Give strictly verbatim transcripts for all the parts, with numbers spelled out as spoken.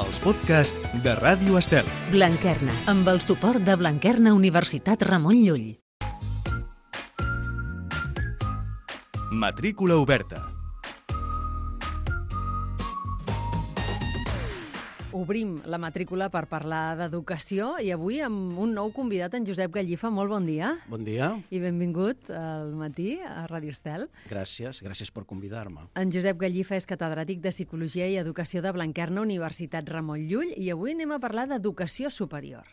Els podcasts de Ràdio Estel. Blanquerna, amb el suport de Blanquerna Universitat Ramon Llull. Matrícula oberta. Obrim la matrícula per parlar d'educació i avui amb un nou convidat, en Josep Gallifa. Molt bon dia. Bon dia. I benvingut al matí a Ràdio Estel. Gràcies, gràcies per convidar-me. En Josep Gallifa és catedràtic de Psicologia i Educació de Blanquerna Universitat Ramon Llull i avui anem a parlar d'educació superior,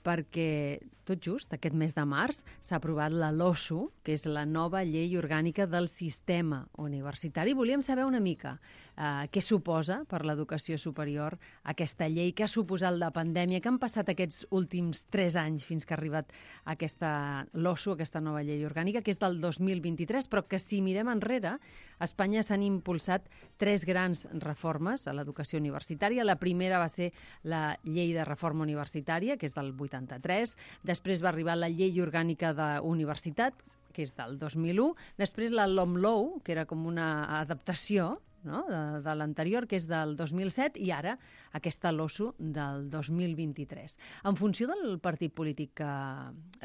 perquè tot just aquest mes de març s'ha aprovat la LOSU, que és la nova llei orgànica del sistema universitari. Volíem saber una mica eh, què suposa per l'educació superior aquesta llei, què ha suposat la pandèmia, què han passat aquests últims tres anys fins que ha arribat aquesta LOSU, aquesta nova llei orgànica, que és del dos mil vint-i-tres, però que si mirem enrere, a Espanya s'han impulsat tres grans reformes a l'educació universitària. La primera va ser la llei de reforma universitària, que és del vuitanta-tres, després va arribar la llei orgànica d'universitats, que és del dos mil u, després la LOMLOE, que era com una adaptació, no?, de, de l'anterior, que és del dos mil set, i ara aquesta LOSU del dos mil vint-i-tres. En funció del partit polític que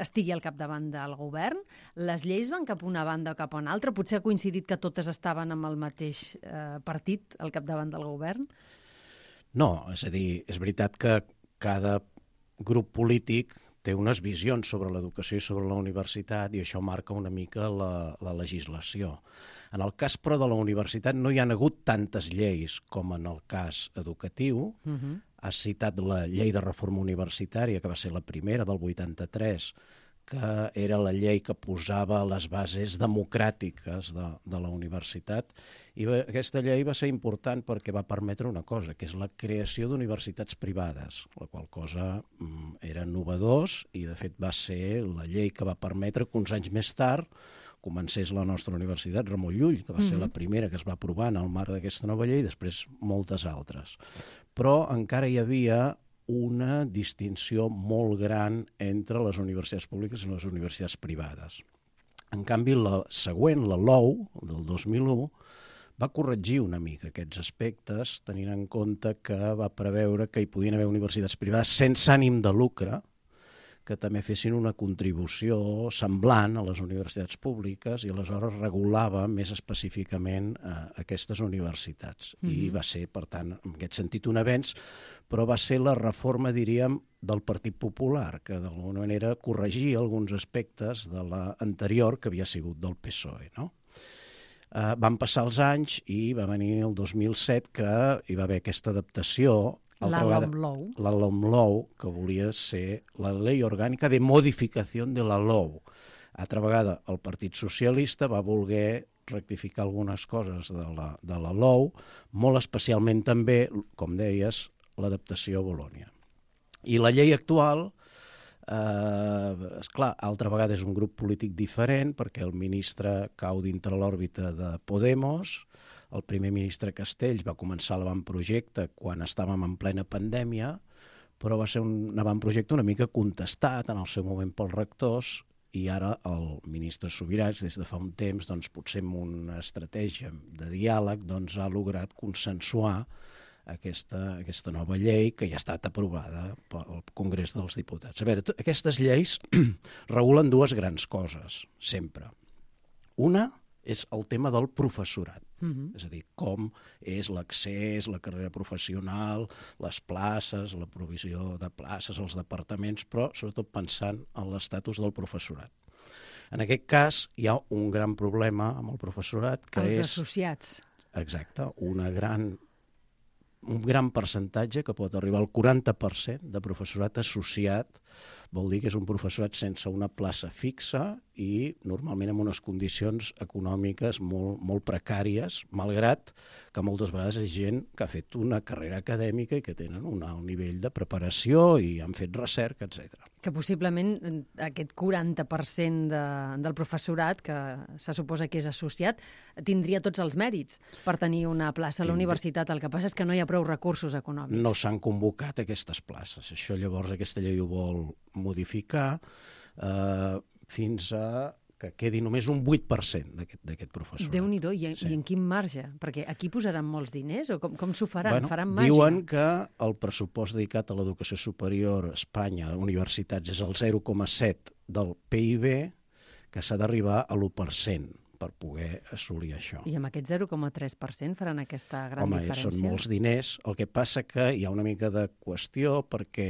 estigui al capdavant del govern, les lleis van cap a una banda o cap a una altra? Potser ha coincidit que totes estaven amb el mateix eh, partit al capdavant del govern? No, és a dir, és veritat que cada grup polític té unes visions sobre l'educació i sobre la universitat i això marca una mica la, la legislació. En el cas, però, de la universitat no hi ha hagut tantes lleis com en el cas educatiu. Uh-huh. Has citat la llei de reforma universitària, que va ser la primera, del vuitanta-tres, que era la llei que posava les bases democràtiques de, de la universitat. I va, aquesta llei va ser important perquè va permetre una cosa, que és la creació d'universitats privades, la qual cosa mm, era novedós i, de fet, va ser la llei que va permetre que uns anys més tard comencés la nostra universitat, Ramon Llull, que va ser mm-hmm. la primera que es va aprovar en el marc d'aquesta nova llei, i després moltes altres. Però encara hi havia una distinció molt gran entre les universitats públiques i les universitats privades. En canvi, la següent, la LOU, del dos mil u, va corregir una mica aquests aspectes, tenint en compte que va preveure que hi podien haver universitats privades sense ànim de lucre, que també fessin una contribució semblant a les universitats públiques i aleshores regulava més específicament eh, aquestes universitats. Mm-hmm. I va ser, per tant, en aquest sentit un avenç, però va ser la reforma, diríem, del Partit Popular, que d'alguna manera corregia alguns aspectes de l'anterior que havia sigut del P S O E, no? Eh, van passar els anys i va venir el dos mil set que hi va haver aquesta adaptació. La LOMLOE. La LOMLOE, que volia ser la Llei Orgànica de Modificació de la LOU. Altra vegada, el Partit Socialista va voler rectificar algunes coses de la, de la LOU, molt especialment també, com deies, l'adaptació a Bolònia. I la llei actual, eh, esclar, altra vegada és un grup polític diferent, perquè el ministre cau dintre l'òrbita de Podemos. El primer ministre Castells va començar l'avantprojecte quan estàvem en plena pandèmia, però va ser un avantprojecte una mica contestat en el seu moment pels rectors i ara el ministre Subirats, des de fa un temps, doncs, potser amb una estratègia de diàleg, doncs, ha lograt consensuar aquesta, aquesta nova llei que ja ha estat aprovada pel Congrés dels Diputats. A veure, aquestes lleis regulen dues grans coses, sempre. Una és el tema del professorat, uh-huh. és a dir, com és l'accés, la carrera professional, les places, la provisió de places, els departaments, però sobretot pensant en l'estatus del professorat. En aquest cas hi ha un gran problema amb el professorat, que Els és... Els associats. Exacte, una gran, un gran percentatge que pot arribar al quaranta per cent de professorat associat. Vol dir que és un professorat sense una plaça fixa i normalment amb unes condicions econòmiques molt, molt precàries, malgrat que moltes vegades és gent que ha fet una carrera acadèmica i que tenen un alt nivell de preparació i han fet recerca, etcètera. Que possiblement aquest quaranta per cent de, del professorat, que se suposa que és associat, tindria tots els mèrits per tenir una plaça a la universitat. El que passa és que no hi ha prou recursos econòmics. No s'han convocat aquestes places. Això llavors aquesta llei ho vol modificar eh, fins a que quedi només un vuit per cent d'aquest professorat. Déu-n'hi-do, I, sí. i en quin marge? Perquè aquí posaran molts diners o com, com s'ho faran? Bueno, faran màgia? diuen que el pressupost dedicat a l'educació superior a Espanya, a universitats, és el zero coma set del P I B, que s'ha d'arribar a l'u per cent per poder assolir això. I amb aquest zero coma tres per cent faran aquesta gran Home, diferència? són molts diners. El que passa que hi ha una mica de qüestió perquè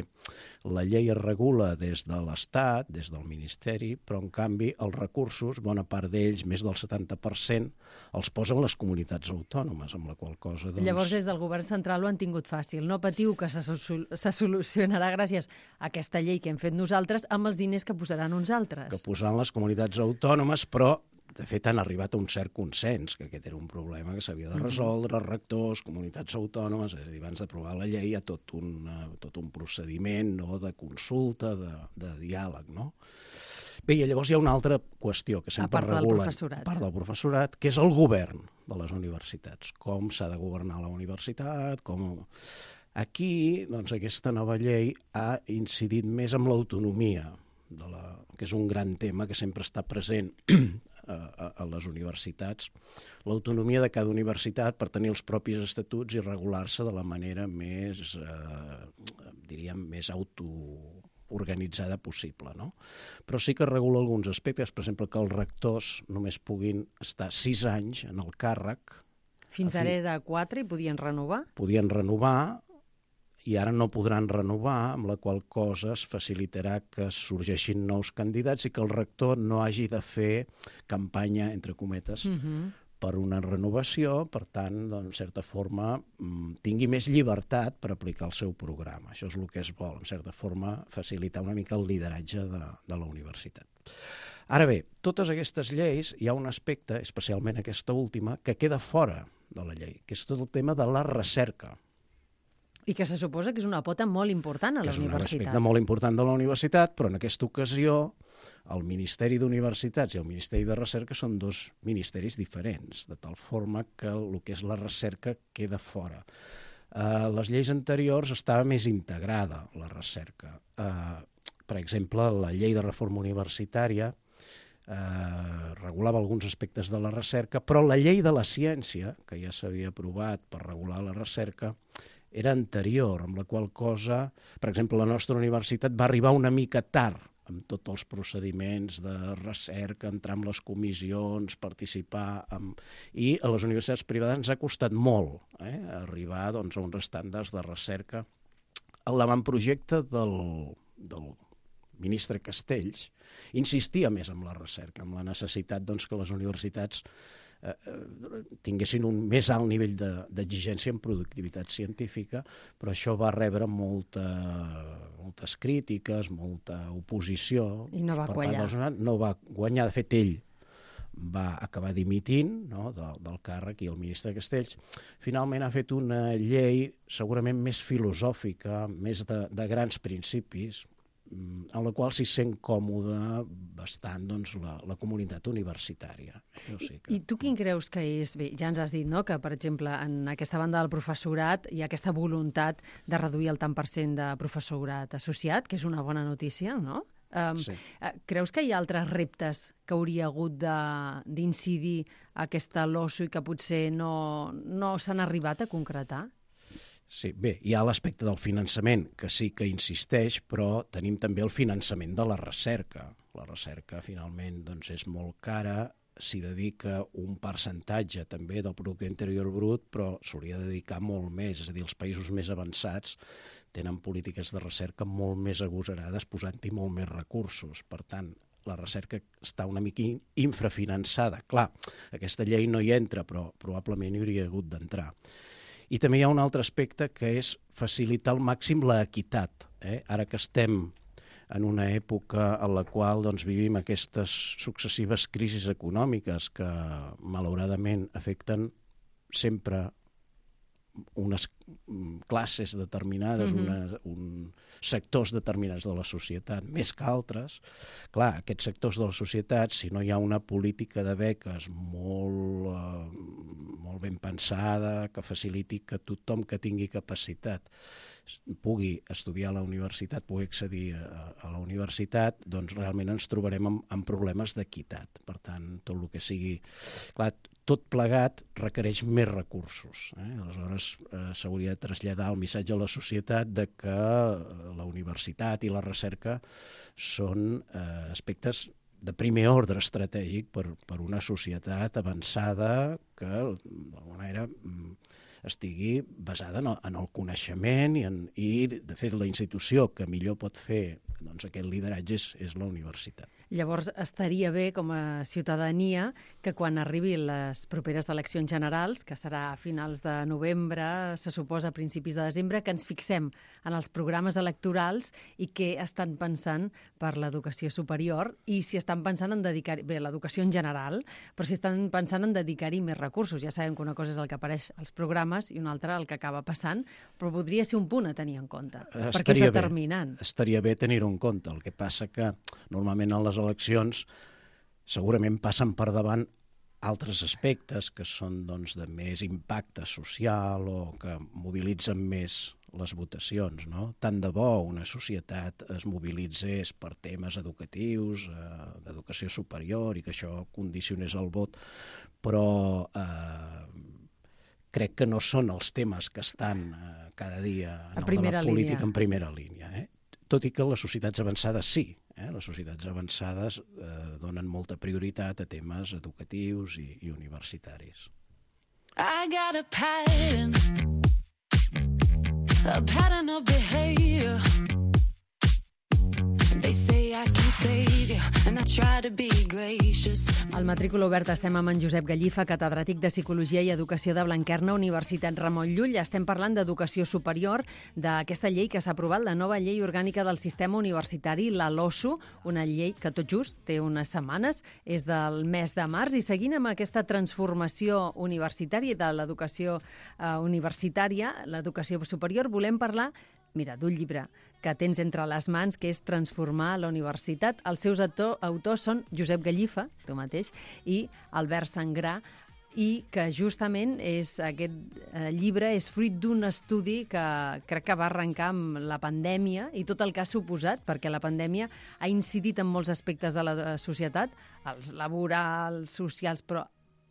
la llei es regula des de l'Estat, des del Ministeri, però en canvi els recursos, bona part d'ells, més del setanta per cent, els posen les comunitats autònomes, amb la qual cosa... Doncs... Llavors, des del govern central ho han tingut fàcil. No patiu que se, sol se solucionarà gràcies a aquesta llei que hem fet nosaltres amb els diners que posaran uns altres. Que posaran les comunitats autònomes, però de fet han arribat a un cert consens, que aquest era un problema que s'havia de resoldre, mm-hmm. rectors, comunitats autònomes, és a dir, abans d'aprovar la llei hi ha tot un, uh, tot un procediment, no?, de consulta, de, de diàleg, no? Bé, i llavors hi ha una altra qüestió que sempre regulen, a part del professorat, que és el govern de les universitats. Com s'ha de governar la universitat, com... Aquí, doncs, aquesta nova llei ha incidit més amb l'autonomia, de la, que és un gran tema que sempre està present a, a, a les universitats, l'autonomia de cada universitat per tenir els propis estatuts i regular-se de la manera més, eh, diríem, més autoorganitzada possible, no? Però sí que regula alguns aspectes, per exemple, que els rectors només puguin estar sis anys en el càrrec. Fins ara era quatre i podien renovar? Podien renovar, i ara no podran renovar, amb la qual cosa es facilitarà que sorgeixin nous candidats i que el rector no hagi de fer campanya, entre cometes, uh-huh. per una renovació, per tant, en certa forma, tingui més llibertat per aplicar el seu programa. Això és el que es vol, en certa forma, facilitar una mica el lideratge de, de la universitat. Ara bé, totes aquestes lleis, hi ha un aspecte, especialment aquesta última, que queda fora de la llei, que és tot el tema de la recerca. I que se suposa que és una pota molt important a la universitat. Que és un aspecte molt important de la universitat, però en aquesta ocasió el Ministeri d'Universitats i el Ministeri de Recerca són dos ministeris diferents, de tal forma que el que és la recerca queda fora. A les lleis anteriors estava més integrada la recerca. Per exemple, la llei de reforma universitària regulava alguns aspectes de la recerca, però la llei de la ciència, que ja s'havia aprovat per regular la recerca, era anterior, amb la qual cosa, per exemple, la nostra universitat va arribar una mica tard amb tots els procediments de recerca, entrar en les comissions, participar... Amb... I a les universitats privades ens ha costat molt eh, arribar doncs, a uns estàndards de recerca. L'avantprojecte del, del ministre Castells insistia més en la recerca, en la necessitat doncs, que les universitats eh, tinguessin un més alt nivell d'exigència en productivitat científica, però això va rebre molta, moltes crítiques, molta oposició. I no va guanyar. No va guanyar, de fet ell va acabar dimitint no, del, del càrrec i el ministre Castells finalment ha fet una llei segurament més filosòfica, més de, de grans principis, en la qual s'hi sent còmode bastant doncs, la, la comunitat universitària. Jo sé que... I tu quin creus que és? Bé, ja ens has dit no, que, per exemple, en aquesta banda del professorat hi ha aquesta voluntat de reduir el tant per cent de professorat associat, que és una bona notícia, no? Um, sí. Creus que hi ha altres reptes que hauria hagut d'incidir aquesta LOSU i que potser no, no s'han arribat a concretar? Sí, bé, hi ha l'aspecte del finançament, que sí que insisteix, però tenim també el finançament de la recerca. La recerca, finalment, doncs, és molt cara, s'hi dedica un percentatge també del producte interior brut, però s'hauria de dedicar molt més. És a dir, els països més avançats tenen polítiques de recerca molt més agosarades, posant-hi molt més recursos. Per tant, la recerca està una mica infrafinançada. Clar, aquesta llei no hi entra, però probablement hi hauria hagut d'entrar. I també hi ha un altre aspecte que és facilitar al màxim l'equitat. Eh? Ara que estem en una època en la qual doncs, vivim aquestes successives crisis econòmiques que malauradament afecten sempre unes classes determinades, mm-hmm. una, un, sectors determinats de la societat, més que altres. Clar, aquests sectors de la societat, si no hi ha una política de beques molt, eh, molt ben pensada, que faciliti que tothom que tingui capacitat pugui estudiar a la universitat, pugui accedir a, a la universitat, doncs realment ens trobarem amb, amb problemes d'equitat. Per tant, tot el que sigui... Clar, tot plegat requereix més recursos. Eh? Aleshores, eh, s'hauria de traslladar el missatge a la societat de que la universitat i la recerca són eh, aspectes de primer ordre estratègic per, per una societat avançada que, d'alguna manera, estigui basada en el, en el coneixement i, en, i, de fet, la institució que millor pot fer doncs, aquest lideratge és, és la universitat. Llavors, estaria bé, com a ciutadania, que quan arribin les properes eleccions generals, que serà a finals de novembre, se suposa a principis de desembre, que ens fixem en els programes electorals i què estan pensant per l'educació superior i si estan pensant en dedicar... Bé, l'educació en general, però si estan pensant en dedicar-hi més recursos. Ja sabem que una cosa és el que apareix als programes i una altra el que acaba passant, però podria ser un punt a tenir en compte, estaria perquè és determinant. Bé, estaria bé tenir-ho en compte. El que passa que normalment en les eleccions segurament passen per davant altres aspectes que són doncs, de més impacte social o que mobilitzen més les votacions. No? Tant de bo una societat es mobilitzés per temes educatius, eh, d'educació superior i que això condicionés el vot, però eh, crec que no són els temes que estan eh, cada dia en el debat polític en primera línia. Eh? Tot i que les societats avançades sí. Eh? Les societats avançades eh, donen molta prioritat a temes educatius i, i universitaris. I got a pattern, a pattern of behavior. They say I can save you, and I try to be gracious. Al Matrícula Oberta estem amb en Josep Gallifa, catedràtic de Psicologia i Educació de Blanquerna, Universitat Ramon Llull. Estem parlant d'educació superior, d'aquesta llei que s'ha aprovat, la nova llei orgànica del sistema universitari, la LOSU, una llei que tot just té unes setmanes, és del mes de març, i seguint amb aquesta transformació universitària de l'educació eh, universitària, l'educació superior, volem parlar, mira, d'un llibre que tens entre les mans, que és Transformar la universitat. Els seus autor, autors són Josep Gallifa, tu mateix, i Albert Sangrà, i que justament és, aquest eh, llibre és fruit d'un estudi que crec que va arrencar amb la pandèmia i tot el que ha suposat, perquè la pandèmia ha incidit en molts aspectes de la societat, els laborals, socials, però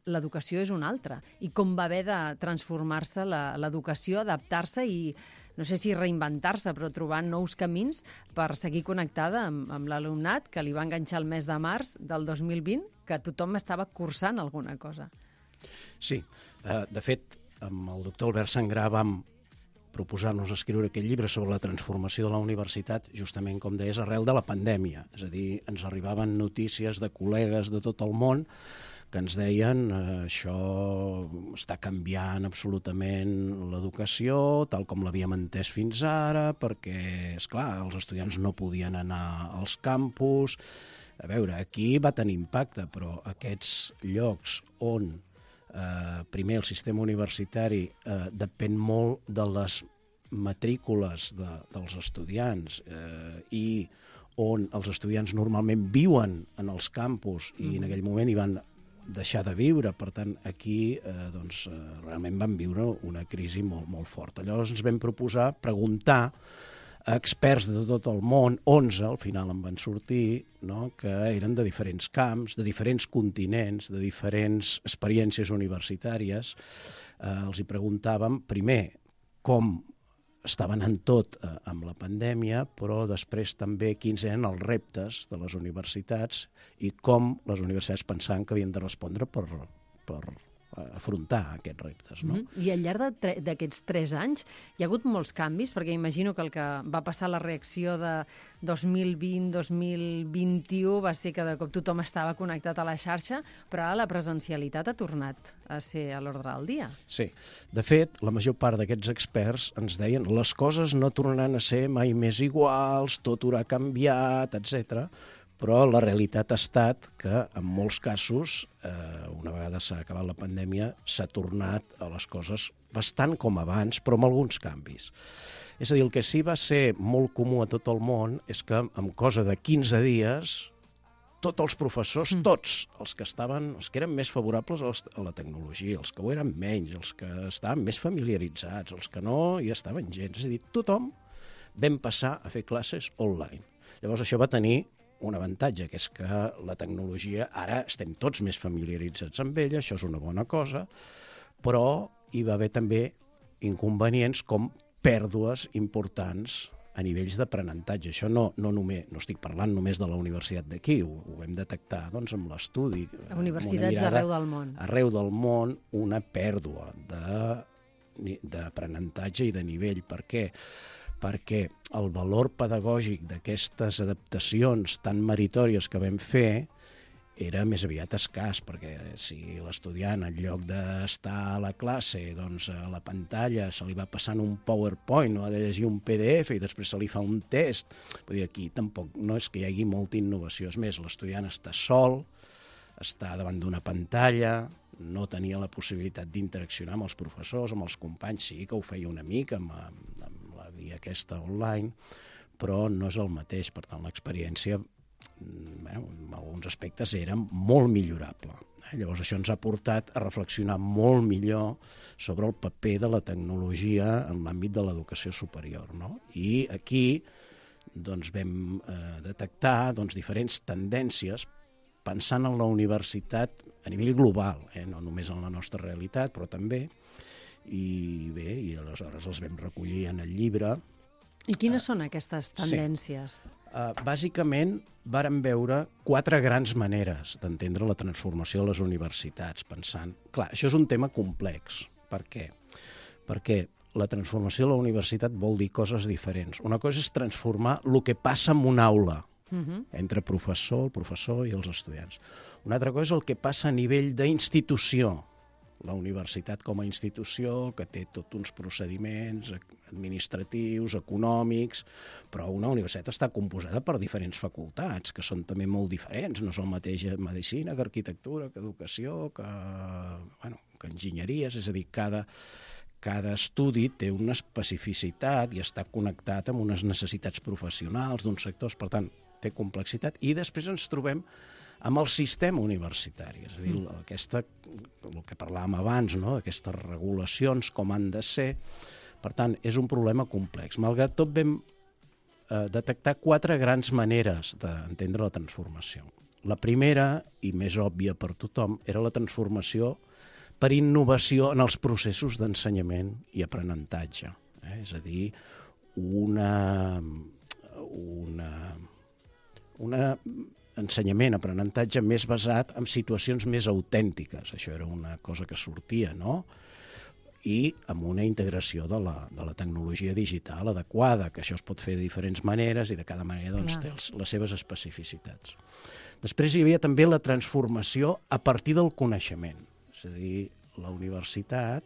l'educació és una altra. I com va haver de transformar-se l'educació, adaptar-se i no sé si reinventar-se, però trobar nous camins per seguir connectada amb, amb l'alumnat que li va enganxar el mes de març del dos mil vint, que tothom estava cursant alguna cosa. Sí, de fet, amb el doctor Albert Sangrà vam proposar-nos escriure aquest llibre sobre la transformació de la universitat, justament, com deies, arrel de la pandèmia. És a dir, ens arribaven notícies de col·legues de tot el món que ens deien eh, això està canviant absolutament l'educació, tal com l'havíem entès fins ara, perquè, esclar, els estudiants no podien anar als campus. A veure, aquí va tenir impacte, però aquests llocs on eh, primer el sistema universitari eh, depèn molt de les matrícules de, dels estudiants eh, i on els estudiants normalment viuen en els campus i en aquell moment hi van deixar de viure, per tant aquí eh, doncs, eh, realment van viure una crisi molt, molt forta. Llavors ens vam proposar preguntar a experts de tot el món, onze al final en van sortir, no? Que eren de diferents camps, de diferents continents, de diferents experiències universitàries. Eh, els hi preguntàvem primer com estaven en tot eh, amb la pandèmia, però després també quins eren els reptes de les universitats i com les universitats pensaven que havien de respondre per, per afrontar aquests reptes. No? Mm-hmm. I al llarg d'aquests tres anys hi ha hagut molts canvis, perquè imagino que el que va passar la reacció de dos mil vint dos mil vint-i-u va ser que de cop tothom estava connectat a la xarxa, però ara la presencialitat ha tornat a ser a l'ordre del dia. Sí. De fet, la major part d'aquests experts ens deien les coses no tornaran a ser mai més iguals, tot haurà canviat, etcètera. Però la realitat ha estat que, en molts casos, eh, una vegada s'ha acabat la pandèmia, s'ha tornat a les coses bastant com abans, però amb alguns canvis. És a dir, el que sí va ser molt comú a tot el món és que, en cosa de quinze dies, tots els professors, mm. tots els que estaven, els que eren més favorables a la tecnologia, els que ho eren menys, els que estaven més familiaritzats, els que no hi estaven gens. És a dir, tothom vam passar a fer classes online. Llavors això va tenir un avantatge, que és que la tecnologia, ara estem tots més familiaritzats amb ella, això és una bona cosa, però hi va haver també inconvenients com pèrdues importants a nivells d'aprenentatge. Això no, no, només, no estic parlant només de la universitat d'aquí, ho, ho vam detectar doncs, amb l'estudi. A universitats d'arreu del món. Arreu del món, una pèrdua d'aprenentatge i de nivell. Per què? Perquè el valor pedagògic d'aquestes adaptacions tan meritòries que vam fer era més aviat escàs, perquè si l'estudiant, en lloc d'estar a la classe, doncs a la pantalla se li va passant un PowerPoint o ha de llegir un P D F i després se li fa un test, vull dir, aquí tampoc no és que hi hagi molta innovació. És més, l'estudiant està sol, està davant d'una pantalla, no tenia la possibilitat d'interaccionar amb els professors, amb els companys, sí que ho feia una mica amb, amb, amb la via aquesta online, però no és el mateix. Per tant, l'experiència, bueno, en alguns aspectes era molt millorable. Llavors això ens ha portat a reflexionar molt millor sobre el paper de la tecnologia en l'àmbit de l'educació superior, no? I aquí doncs, vam eh, detectar doncs, diferents tendències pensant en la universitat a nivell global, eh? No només en la nostra realitat, però també. I bé, i aleshores els vam recollir en el llibre. I quines uh, són aquestes tendències? Sí. Uh, bàsicament, vàrem veure quatre grans maneres d'entendre la transformació de les universitats, pensant... Clar, això és un tema complex. Per què? Perquè la transformació de la universitat vol dir coses diferents. Una cosa és transformar el que passa en una aula, uh-huh. entre professor, el professor i els estudiants. Una altra cosa és el que passa a nivell d'institució, la universitat com a institució, que té tots uns procediments administratius, econòmics, però una universitat està composada per diferents facultats, que són també molt diferents, no són el mateix medicina que arquitectura, que educació, que, bueno, que enginyeries, és a dir, cada, cada estudi té una especificitat i està connectat amb unes necessitats professionals d'uns sectors, per tant, té complexitat, i després ens trobem amb el sistema universitari, és a dir, aquesta, el que parlàvem abans, no? Aquestes regulacions, com han de ser. Per tant, és un problema complex. Malgrat tot, vam eh, detectar quatre grans maneres d'entendre la transformació. La primera, i més òbvia per tothom, era la transformació per innovació en els processos d'ensenyament i aprenentatge. Eh? És a dir, una... una, una ensenyament, aprenentatge més basat en situacions més autèntiques. Això era una cosa que sortia, no? I amb una integració de la, de la tecnologia digital adequada, que això es pot fer de diferents maneres i de cada manera doncs, té els, les seves especificitats. Després hi havia també la transformació a partir del coneixement. És a dir, la universitat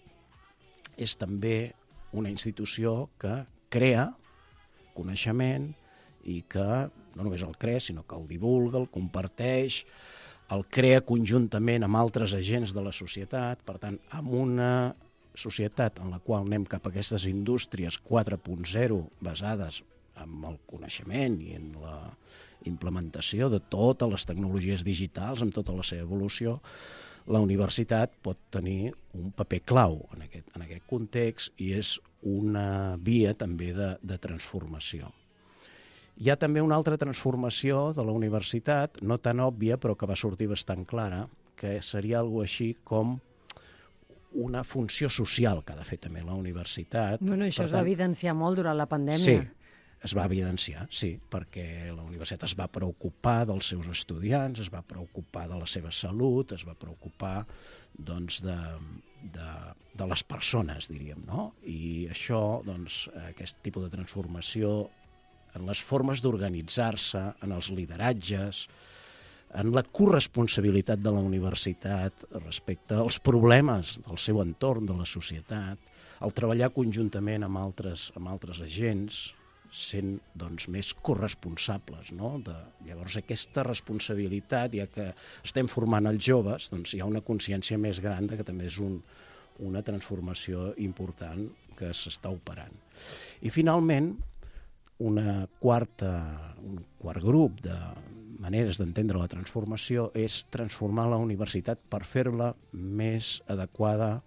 és també una institució que crea coneixement i que no només el crea, sinó que el divulga, el comparteix, el crea conjuntament amb altres agents de la societat. Per tant, amb una societat en la qual anem cap a aquestes indústries quatre punt zero basades en el coneixement i en la implementació de totes les tecnologies digitals, amb tota la seva evolució, la universitat pot tenir un paper clau en aquest, en aquest context i és una via també de, de transformació. Hi ha també una altra transformació de la universitat, no tan òbvia, però que va sortir bastant clara, que seria alguna així com una funció social que ha de fer també la universitat. Bueno, això per es tant, va evidenciar molt durant la pandèmia. Sí, es va evidenciar, sí, perquè la universitat es va preocupar dels seus estudiants, es va preocupar de la seva salut, es va preocupar doncs, de, de, de les persones, diríem, no? I això, doncs, aquest tipus de transformació en les formes d'organitzar-se, en els lideratges, en la corresponsabilitat de la universitat respecte als problemes del seu entorn, de la societat, el treballar conjuntament amb altres, amb altres agents, sent doncs, més corresponsables. No? De, llavors, aquesta responsabilitat, ja que estem formant els joves, doncs, hi ha una consciència més gran que també és un, una transformació important que s'està operant. I finalment, una quarta, un quart grup de maneres d'entendre la transformació és transformar la universitat per fer-la més adequada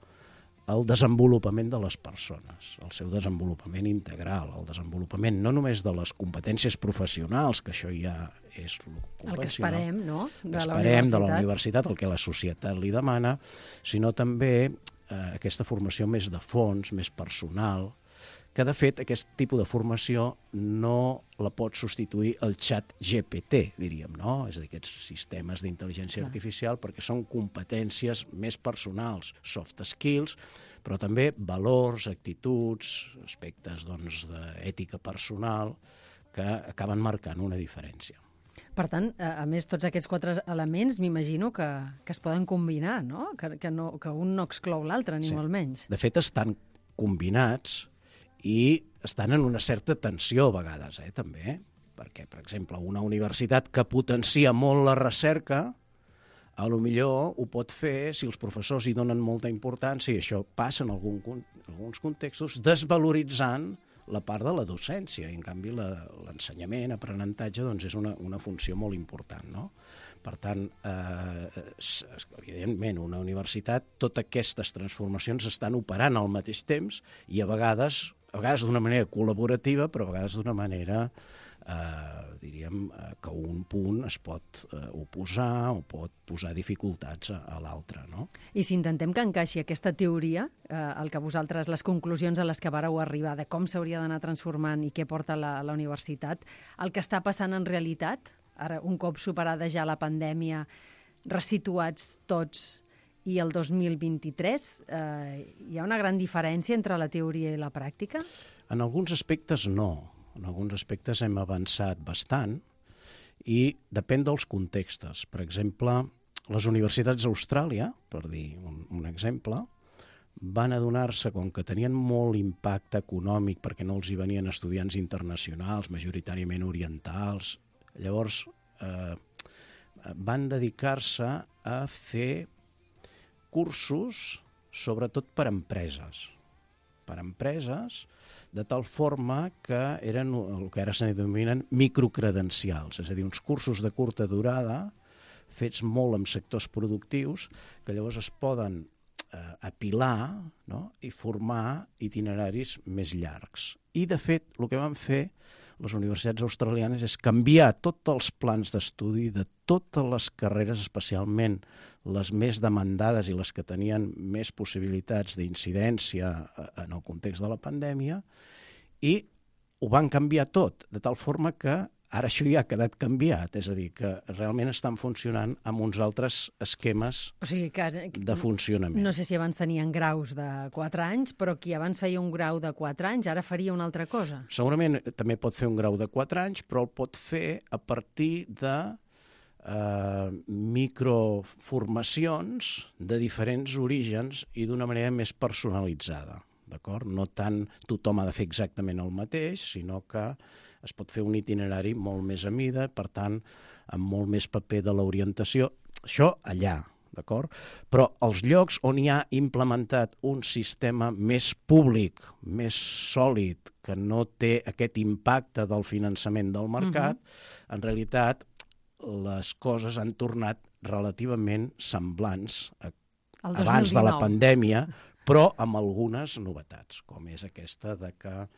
al desenvolupament de les persones, el seu desenvolupament integral, el desenvolupament no només de les competències professionals, que això ja és el que esperem, no? De la esperem de la universitat, el que la societat li demana, sinó també eh, aquesta formació més de fons, més personal, que de fet aquest tipus de formació no la pot substituir el xat G P T, diríem, no? És a dir, aquests sistemes d'intel·ligència artificial, perquè són competències més personals, soft skills, però també valors, actituds, aspectes doncs, d'ètica personal, que acaben marcant una diferència. Per tant, a més, tots aquests quatre elements m'imagino que, que es poden combinar, no? Que, que, no, que un no exclou l'altre, ni sí. molt menys. De fet, estan combinats i estan en una certa tensió a vegades, eh, també. Perquè, per exemple, una universitat que potencia molt la recerca, a lo millor ho pot fer si els professors hi donen molta importància, i això passa en algun, alguns contextos, desvaloritzant la part de la docència. I, en canvi, l'ensenyament, aprenentatge, doncs, és una, una funció molt important, no? Per tant, eh, evidentment, una universitat, totes aquestes transformacions estan operant al mateix temps i a vegades, a vegades d'una manera col·laborativa, però a vegades d'una manera, eh, diríem, que un punt es pot eh, oposar o pot posar dificultats a, a l'altre, no? I si intentem que encaixi aquesta teoria, eh, el que vosaltres, les conclusions a les que vareu arribar de com s'hauria d'anar transformant i què porta la, la universitat, el que està passant en realitat, ara, un cop superada ja la pandèmia, resituats tots i el dos mil vint-i-tres, eh, hi ha una gran diferència entre la teoria i la pràctica? En alguns aspectes no. En alguns aspectes hem avançat bastant i depèn dels contextos. Per exemple, les universitats d'Austràlia, per dir un, un exemple, van adonar-se, com que tenien molt impacte econòmic perquè no els hi venien estudiants internacionals, majoritàriament orientals, llavors eh, van dedicar-se a fer cursos, sobretot per empreses. Per empreses, de tal forma que eren el que ara se denominen microcredencials, és a dir, uns cursos de curta durada, fets molt en sectors productius, que llavors es poden eh, apilar, no?, i formar itineraris més llargs. I, de fet, el que van fer les universitats australianes és canviar tots els plans d'estudi de totes les carreres, especialment les més demandades i les que tenien més possibilitats d'incidència en el context de la pandèmia, i ho van canviar tot, de tal forma que ara això ja ha quedat canviat, és a dir, que realment estan funcionant amb uns altres esquemes o sigui que, de funcionament. No sé si abans tenien graus de quatre anys, però qui abans feia un grau de quatre anys ara faria una altra cosa. Segurament també pot fer un grau de quatre anys, però el pot fer a partir de eh, microformacions de diferents orígens i d'una manera més personalitzada. D'acord? No tant tothom ha de fer exactament el mateix, sinó que es pot fer un itinerari molt més a mida, per tant, amb molt més paper de l'orientació. Això allà, d'acord? Però els llocs on hi ha implementat un sistema més públic, més sòlid, que no té aquest impacte del finançament del mercat, uh-huh. en realitat les coses han tornat relativament semblants a, abans de la pandèmia, però amb algunes novetats, com és aquesta de que eh,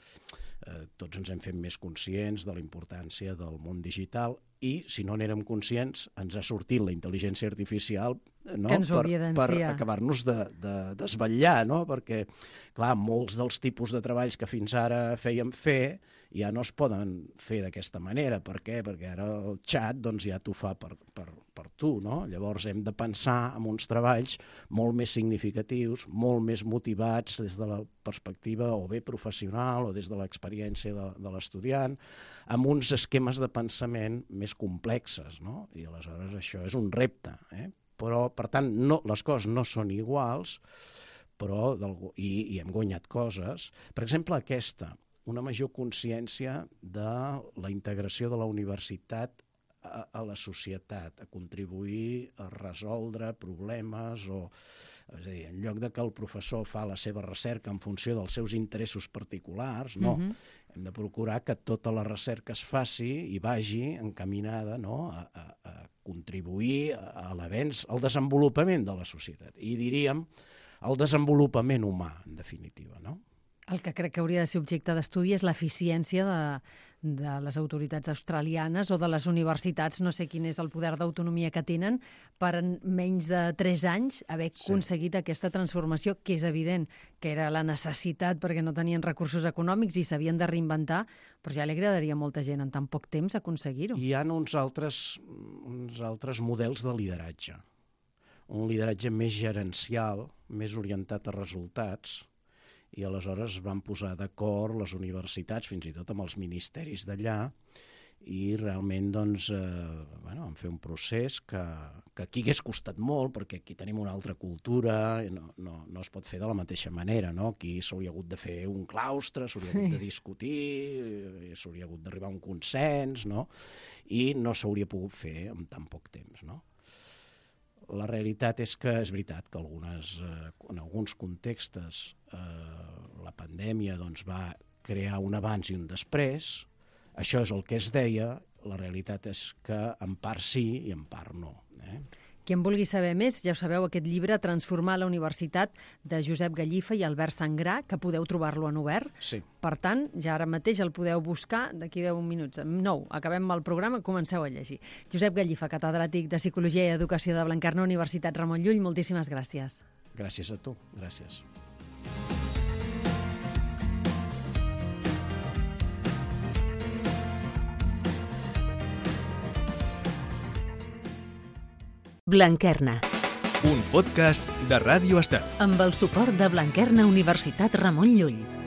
tots ens hem fet més conscients de la importància del món digital i, si no n'érem conscients, ens ha sortit la intel·ligència artificial, no?, que ens ho per, per acabar-nos de, de desvetllar, no? Perquè, clar, molts dels tipus de treballs que fins ara fèiem fer ja no es poden fer d'aquesta manera. Per què? Perquè ara el xat doncs, ja t'ho fa per, per, per tu, no? Llavors hem de pensar en uns treballs molt més significatius, molt més motivats des de la perspectiva o bé professional o des de l'experiència de, de l'estudiant, amb uns esquemes de pensament més complexes, no? I aleshores això és un repte, eh? Però, per tant, no, les coses no són iguals, però i, i hem guanyat coses. Per exemple, aquesta, una major consciència de la integració de la universitat a, a la societat, a contribuir a resoldre problemes o... És a dir, en lloc de que el professor fa la seva recerca en funció dels seus interessos particulars, no. Uh-huh. Hem de procurar que tota la recerca es faci i vagi encaminada, no?, a, a, a contribuir a l'avenç, al desenvolupament de la societat. I diríem el desenvolupament humà, en definitiva, no? El que crec que hauria de ser objecte d'estudi és l'eficiència de, de les autoritats australianes o de les universitats, no sé quin és el poder d'autonomia que tenen, per en menys de tres anys haver sí. aconseguit aquesta transformació, que és evident que era la necessitat perquè no tenien recursos econòmics i s'havien de reinventar, però ja li agradaria a molta gent en tan poc temps aconseguir-ho. Hi ha uns altres, uns altres models de lideratge. Un lideratge més gerencial, més orientat a resultats, i aleshores van posar d'acord les universitats, fins i tot amb els ministeris d'allà, i realment doncs, eh, bueno, van fer un procés que, que aquí hagués costat molt, perquè aquí tenim una altra cultura, i no, no, no es pot fer de la mateixa manera, no? Aquí s'hauria hagut de fer un claustre, s'hauria sí. hagut de discutir, s'hauria hagut d'arribar a un consens, no? I no s'hauria pogut fer en tan poc temps, no? La realitat és que és veritat que algunes, eh, en alguns contextos eh, la pandèmia doncs, va crear un abans i un després. Això és el que es deia. La realitat és que en part sí i en part no. Eh? Qui en vulgui saber més, ja ho sabeu, aquest llibre Transformar la Universitat, de Josep Gallifa i Albert Sangrà, que podeu trobar-lo en obert. Sí. Per tant, ja ara mateix el podeu buscar d'aquí deu minuts. Nou, acabem el programa, comenceu a llegir. Josep Gallifa, catedràtic de Psicologia i Educació de Blanquerna, Universitat Ramon Llull, moltíssimes gràcies. Gràcies a tu, gràcies. Blanquerna, un podcast de Ràdio Estel. amb el suport de Blanquerna Universitat Ramon Llull.